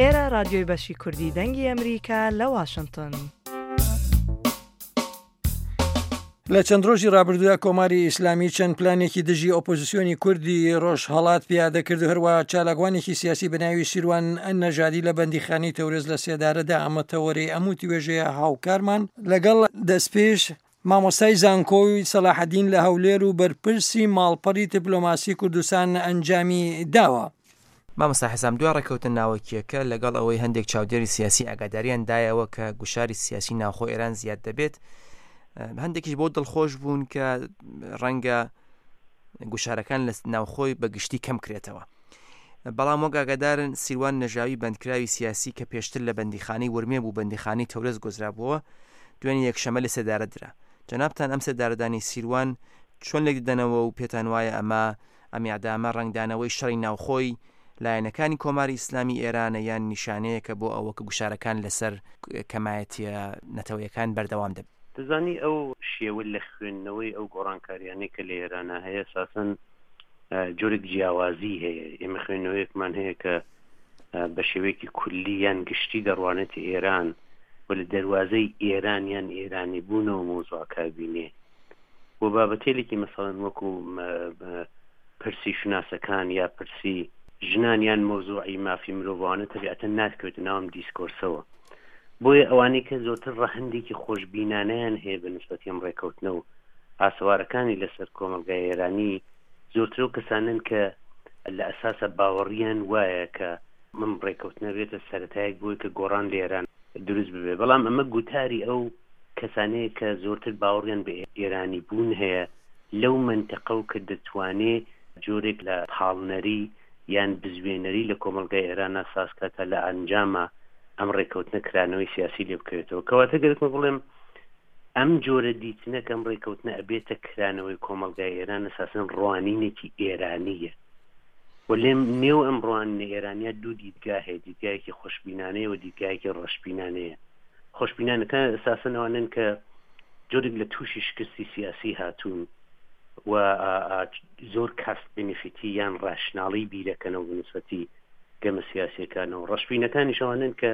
ئێرە ڕادیۆی بەشی کوردی دەنگی ئەمریکا لە واشنتن. لە چەند ڕۆژی ڕابردوودا کۆماری ئیسلامی چەند پلانێکی دژی ئۆپۆزیسیۆنی کوردی ڕۆژهەڵات پیادە کرد و هەروە چالاکوانێکی سیاسی بە ناوی سیروان نەژادی لە بەندیخانەی تەورێز لە سێدارەدا ئەمە تەوەرەی ئەم وتوێژەیە هاوکارمان لەگەڵ دەستپێش مامۆستای زانکۆی سەلاحەدین لە هەولێر و بەرپرسی ماڵپەڕی دیپلۆماسی کوردستان ئەنجامی داوە. مامۆستا حیسام دوای ڕێککەوتنە ناوەکییەکە لەگەڵ ئەوەی هەندێک چاودێری سیاسی ئاگاداریان دایەوە کە گوشاری سیاسی ناوخۆ ئێران زیاد دەبێت هەندێکیش بۆ دڵخۆش بوون کە ڕەنگە گوشارەکان لە ناوخۆی بە گشتی کەم کرێتەوە بەڵام وەک ئاگادارن سیروان نەژاوی بەندکراوی سیاسی کە پێشتر لە بەندیخانەی ورمێ بوو بەندیخانەی تەورێز گۆزرابووەوە دوێنێ یەکشەمە لە سێدارە درا جەنابتان ئەم سێدارەدانی سیروان چۆن لێکدەدەنەوە و پێتان وایە ئەمە ئەم ئیعدامە ڕەنگدانەوەی شەڕی ناوخۆی لایەنەکانی کۆماری ئیسلامی ئێرانە یان نیشانەیەکە بۆ ئەوە کە گوشارەکان لەسەر کەمایەتییە نەتەوەیەکان بەردەوام دەبن؟ دەزانی ئەو شێوە لە خوێندنەوەی ئەو گۆڕانکاریانەی کە لە ئێرانا هەیە ئەساسەن جۆرێک جیاوازی هەیە ئێمە خوێندنەوەیەکمان هەیە کە بە شێوەیەکی کولی یان گشتی دەڕوانێتە ئێران و لە دەروازەی ئێران یان ئێرانی بوونەوە مەوزوعەکە بینێ و بابەتێلێکی مەسەڵەن وەکو پرسی شوناسەکان یا پرسی ژنان یان مەوزوعی مافی مرۆڤانە تەبیعەتەن ناتکەوێتە ناو ئەم دیسکۆرسەوە بۆیە ئەوانەی کە زۆرتر ڕەهەندێکی خۆشبینانەیان هەیە بە نسبەتی ئەم ڕێکەوتنە و ئاسەوارەکانی لەسەر کۆمەڵگای ئێرانی زۆرتر ئەو کەسانەن کە لە ئەساسا باوەڕیان وایە کە ئەم ڕێکەوتنە بێتە سەرەتایەک بۆی کە گۆڕان لە ئێران دروست ببێ بەڵام ئەمە گوتاری ئەو کەسانەیە کە زۆرتر باوەڕیان بە ئێرانی بوون هەیە لەو مەنتەقە و کە دەتوانێ جۆرێک لە پاڵنەری یان بزوێنەری لە کۆمەڵگای ئێرانا ساز کا تا لە ئەنجاما ئەم ڕێکەوتنە کرانەوەی سیاسی لێ بکەوێتەوە. کەواتە گەرەکمە بڵێم ئەم جۆرە دیتنە کە ئەم ڕێکەوتنە ئەبێتە کرانەوەی کۆمەڵگای ئێران ئەساسەن ڕوانینێکی ئێرانییە و لێم نێو ئەم ڕوانینە ئێرانیە دوو دیدگا هەیە دیدگایەکی خۆشبینانەیە و دیدگایەکی ڕەشبینانەیە. خۆشبینانەکان ئەساسەن ئەوانەن کە جۆرێک لە تووشی شکستی سیاسی هاتوون و زۆر کاست بنفیتی یان ڕاشناڵی بیرەکەنەوە بە نسبەتی گەمە سیاسیەکانەوە ڕەشبینەکانیش ئەوانەن کە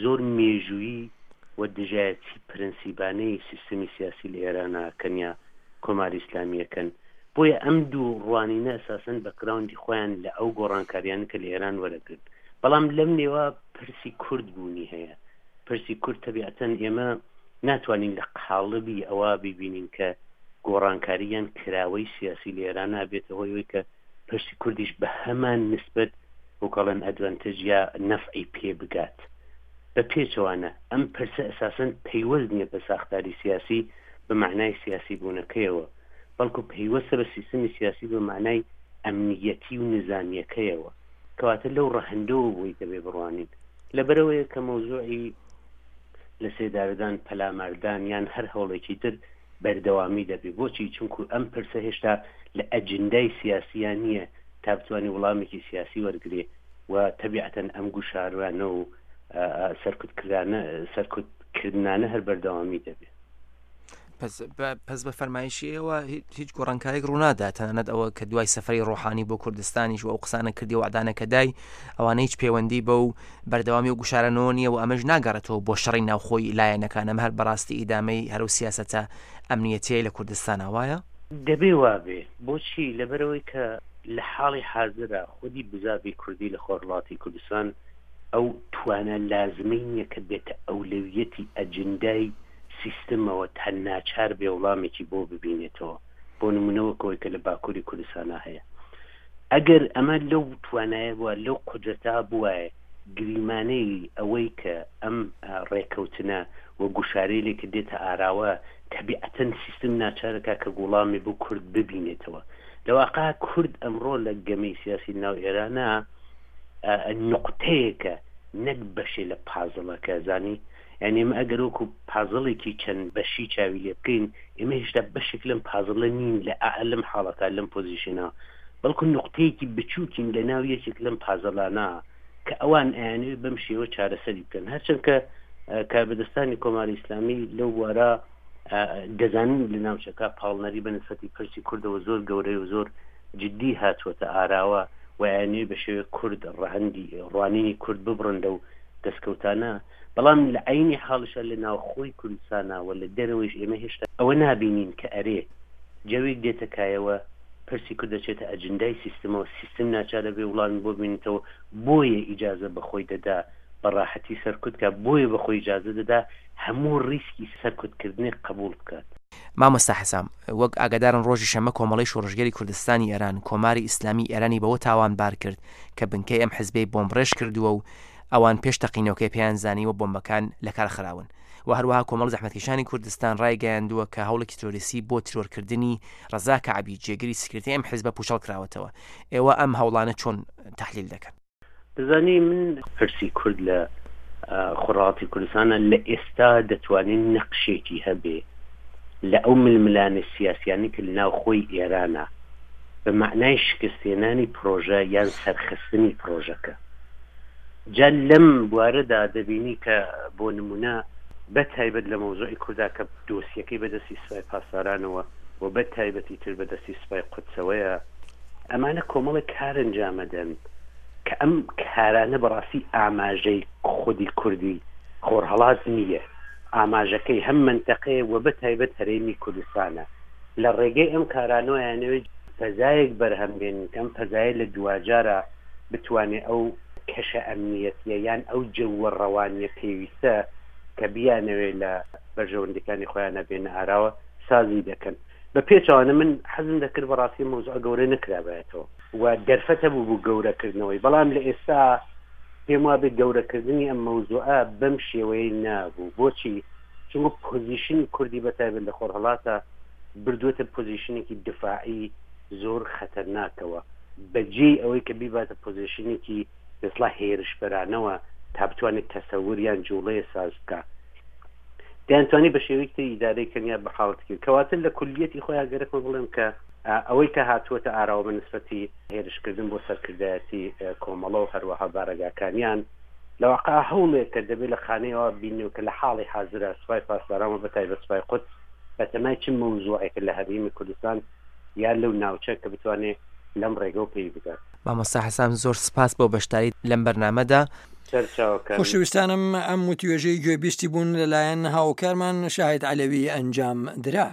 زۆر مێژوویی و دژایەتی پرنسیبانەی سیستمی سیاسی لە ئێرانە کەن یا کۆماری ئیسلامیەکەن بۆیە ئەم دوو ڕوانینە ئەساسەن بەکراوندی خۆیان لە ئەو گۆڕانکاریانە کە لە ئێران وەرەگرن بەڵام لەم نێوە پرسی کورد بوونی هەیە پرسی کورد تەبیعەتەن ئێمە ناتوانین لە قاڵبی ئەوە بیبینین کە گۆڕانکاری یان کراوەی سیاسی لە ئێران بێتە هۆی ئەوەی کە پرسی کوردیش بە هەمان نسبەت وەکەڵێن ئەدڤەنتج یا نەفعی پێ بگات بە پێچەوانە ئەم پرسە ئەساسەن پەیوەست نییە بە ساختاری سیاسی بە مەعنای سیاسی بوونەکەیەوە بەڵکو پەیوەستە بە سیستمی سیاسی بە مەعنای ئەمنیەتی و نزامیەکەیەوە کەواتە لەو ڕەهەندەوە بۆی دەبێ بڕوانین. لەبەرئەوەیە کە مەوزوعی لە سێدارەدان، پەلاماردان یان هەر هەوڵێکی تر بەردەوامی دەبێ. بۆچی؟ چونکو ئەم پرسە هێشتا لە ئەجندای سیاسیا نییە تا بتوانێ وڵامێکی سیاسی وەرگرێ و تەبیعەتەن ئەم گوشارانە و سەرکوتکرانە سەرکوتکردنانە هەر بەردەوامی دەبێ. پس بە فەرمایشی ئێوە هیچ گۆڕانکاریک ڕوونادا تەنانەت ئەوە کە دوای سەفەری ڕۆحانی بۆ کوردستانیش و ئەو قسانە کردی وعدانە کە دای ئەوانە هیچ پەیوەندی بە و بەردەوامی و گوشارەنەوە نییە و ئەمەش ناگەڕێتەوە بۆ شەڕی ناوخۆی لایەنەکان ئەم هەر بەڕاستی ئیدامەی هەرو سیاسەتە ئەمنیەتیەی لە کوردستانە وایە؟ دەبێ وابێ بۆچی لەبەرئەوەی کە لە حاڵی حازرا خودی بزاڤی کوردی لە خۆرهەڵاتی کوردستان ئەو توانا لازمەی نییە کە بێتە ئەولەویەتی ئەجندای سیستمەوە تا ناچار بێ وڵامێکی بۆ ببینێتەوە بۆ نمونە وەک ئەوەی کە لە باکوری کوردستانا هەیە ئەگەر ئەمە لەو توانایە بووە لەو قودرەتە بوایە گریمانەی ئەوەی کە ئەم ڕێکەوتنە و گوشارەیلێک کە دێتە ئاراوە تەبیعەتەن سیستم ناچارەکا کە گوڵامی بۆ کورد ببینێتەوە لە واقع کورد ئەمڕۆ لە گەمەی سیاسی ناو ئێرانە نوقتەیەکە نەک بەشێ لە پازڵەکە زانی یانی ئێمە ئەگەر وەکو پازڵێکی چەند بەشی چاوی لێ بکەین ئێمە هێشتا بەشێک لەم پازڵە نین لە لەم حاڵەتە لەم پۆزیشنە بەڵکو نوقتەیەکی بچووکین لە ناو یەکێک لەم پازڵانە کە ئەوان ئەیانەوێت بەم شێوە چارەسەری بکەن هەرچەند کە کاربەدەستانی کۆماری ئیسلامی لەو بوارە دەزانن لە ناوچەکە پاڵنەری بە نسبەتی پرسی کوردەوە زۆر گەورەیە و زۆر جدی هاتووەتە ئاراوە. و ئەیانەوێ بە شێوەیەک کورد ڕەهەندی ڕوانینی کورد ببڕن لەو دەستکەوتانە، بەڵام لە عەینی حاڵیشا لە ناوخۆی کوردستانا و لە دەرەوەیش ئێمە هێشتا ئەوە نابینین کە ئەرێ جەوێک دێتە کایەوە پرسی کورد دەچێتە ئەجندای سیستمەوە، سیستم ناچار ئەبێ وڵامی بۆ ببینێتەوە، بۆیە ئیجازە بە خۆی دەدا بە ڕاحەتی سەرکوت کا، بۆیە بە خۆی ئیجازە دەدا هەموو ڕیسکی سەرکوت کردنێک قەبووڵ بکات. مامۆستا حەسام، وەک ئاگادارن ڕۆژی شەممە کۆمەڵەی شۆڕشگێری کوردستانی ئێران، کۆماری ئیسلامی ئێرانی بەوە تاوانبار کرد کە بنکەی ئەم حزبەی بۆمبڕێژ کردووە و ئەوان پێش تەقینەوەکەی پێیان زانیوە بۆمبەکان لەکار خراون و هەروەها کۆمەڵی زەحمەتکێشانی کوردستان ڕایگەیاندووە کە هەوڵێکی ترۆریستی بۆ ترۆرکردنی ڕەزا کەعبی جێگری سکرتێری ئەم حزبە پوچەڵ کراوەتەوە. ئێوە ئەم هەوڵانە چۆن تەحلیل دەکەن؟ دەزانی من پرسی کورد لە خۆرهەڵاتی کوردستانە لە ئێستا دەتوانێت نەقشێکی هەبێ لە ئەو ململانێ سیاسیانەی کە لە ناوخۆی ئێرانە بە مەعنای شکستهێنانی پرۆژە یان سەرخستنی پرۆژەکە. جا لەم بوارەدا دەبینی کە بۆ نموونە بە تایبەت لە مەوزوعی کوردا کە دۆسیەکەی بە دەستی سپای پاسدارانەوە و بە تایبەتی تر بە دەستی سپای قودسەوەیە، ئەمانە کۆمەڵێک کار ئەنجامەدەن کە ئەم کارانە بەڕاستی ئاماژەی خودی کوردی خۆرهەڵات نییە، ئاماژەکەی هەم مەنتەقەیە و بە تایبەت هەرێمی کوردستانە. لە ڕێگەی ئەم کارانەوە ئەیانەوێت فەزایەک بەرهەم بێنن کە ئەم فەزایە لە دواجارا بتوانێت ئەو کەشە ئەمنیەتیە یان ئەو جەوە ڕەوانیە پێویستە کە بیانەوێت لە بەرژەوەندیەکانی خۆیانا بێنە ئاراوە سازی دەکەن. بە پێچەوانە من حەزم دەکرد بەڕاستی ئەم مەوزوعە گەورە نەکرابایەتەوە و دەرفەت هەبوو بۆ گەورەکردنەوەی، بەڵام لە ئێستا پێم وابێت گەورەکردنی ئەم مەوزوعە بەم شێوەیەی نابوو. بۆچی؟ چونکە پۆزیشنی کوردی بە تایبەت لە خۆرهەڵاتە بردووەتە پۆزیشنێکی دفاعی زۆر خەتەرناکەوە بە جێی ئەوەی کە بیباتە پۆزیشنێکی بەسڵا هێرشبەرانەوە تا بتوانێت تەسەور یان جوڵەیە ساز بکا. دەیانتوانی بە شێوەیەکی تر ئیدارەی کەن یا بە حاڵەتێکی تر. کەواتە لە کولیەتی خۆیان گەرەکمە بڵێم کە ئەوەی کە هاتووەتە ئاراوە بە نسبەتی هێرشکردن بۆ سەرکردایەتی کۆمەڵە و هەروەها بارەگاکانیان لە واقع هەوڵێکە دەبێت لە خانەیەوە بینەوە کە لە حاڵی حازرا سوپای پاسداران و بە تایبەت سوپای قودس بەتەمای چ مەوزوعێکە لە هەرێمی کوردستان یا لەو ناوچە کە بتوانێت لەم ڕێگەوە پێی بگات. مامۆستا حەسام زۆر سپاس بۆ بەشداریت لەم بەرنامەدا. سەرچاوەکان. خۆشەویستانم ئەم وتوێژەی گوێبیستی بوون لەلایەن هاوکارمان شاهید عەلەوی ئەنجام درا.